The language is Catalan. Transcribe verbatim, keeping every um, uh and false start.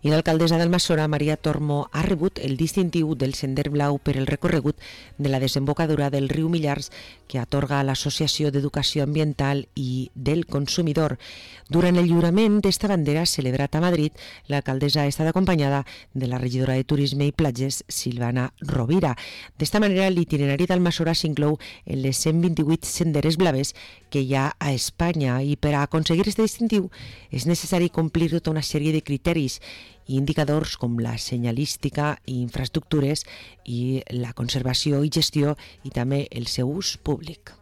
I l'alcaldessa d'Almassora, Maria Tormo, ha rebut el distintiu del Sender Blau per el recorregut de la desembocadura del riu Millars que atorga l'Associació d'Educació Ambiental i del Consumidor. Durant el lliurament d'esta bandera celebrat a Madrid, l'alcaldessa ha estat acompanyada de la regidora de Turisme i Platges, Silvana Rovira. D'esta manera, l'itinerari d'Almassora s'inclou en les cent vint-i-vuit senderes blaves que hi ha a Espanya i per a aconseguir aquest distintiu és necessari complir tota una sèrie de criteris i indicadors com la senyalística i infraestructures i la conservació i gestió i també el seu ús públic.